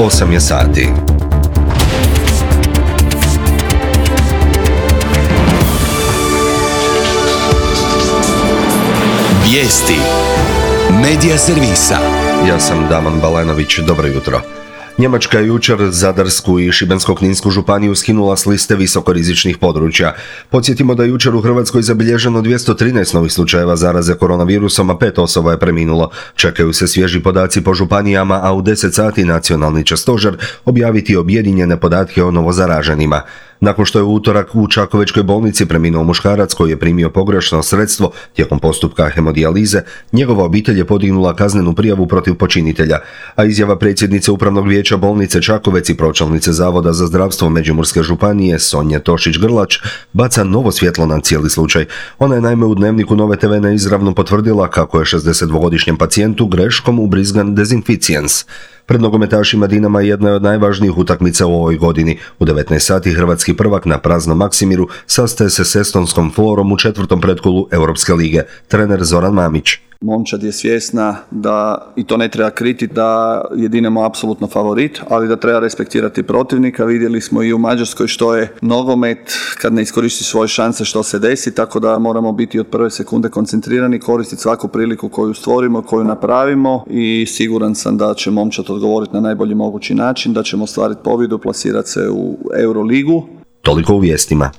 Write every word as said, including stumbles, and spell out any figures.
osam je sati. Vijesti Medija servisa. Ja sam Daman Balenović, dobro jutro. Njemačka je jučer Zadarsku i Šibensko-kninsku županiju skinula s liste visokorizičnih područja. Podsjetimo da je jučer u Hrvatskoj zabilježeno dvjesto trinaest novih slučajeva zaraze koronavirusom, a pet osoba je preminulo. Čekaju se svježi podaci po županijama, a u deset sati nacionalni će stožer objaviti objedinjene podatke o novozaraženima. Nakon što je u utorak u Čakovečkoj bolnici preminuo muškarac koji je primio pogrešno sredstvo tijekom postupka hemodijalize, njegova obitelj je podignula kaznenu prijavu protiv počinitelja, a izjava predsjednice Upravnog vijeća bolnice Čakovec i pročelnice Zavoda za zdravstvo Međimurske županije Sonje Tošić-Grlač baca novo svjetlo na cijeli slučaj. Ona je naime u Dnevniku Nove te ve neizravno potvrdila kako je šezdesetdvogodišnjem pacijentu greškom ubrizgan dezinficijens. Pred nogometašima Dinama jedna je od najvažnijih utakmica u ovoj godini. U devetnaest sati hrvatski prvak na praznom Maksimiru sastaje se s estonskom Florom u četvrtom pretkolu Europske lige. Trener Zoran Mamić. Momčad je svjesna da, i to ne treba kriti, da je Dinamo apsolutno favorit, ali da treba respektirati protivnika. Vidjeli smo i u Mađarskoj što je nogomet, kad ne iskoristi svoje šanse što se desi, tako da moramo biti od prve sekunde koncentrirani, koristiti svaku priliku koju stvorimo, koju napravimo i siguran sam da će Momčad odgovoriti na najbolji mogući način, da ćemo ostvariti pobjedu, plasirati se u Euroligu. Toliko u vijestima.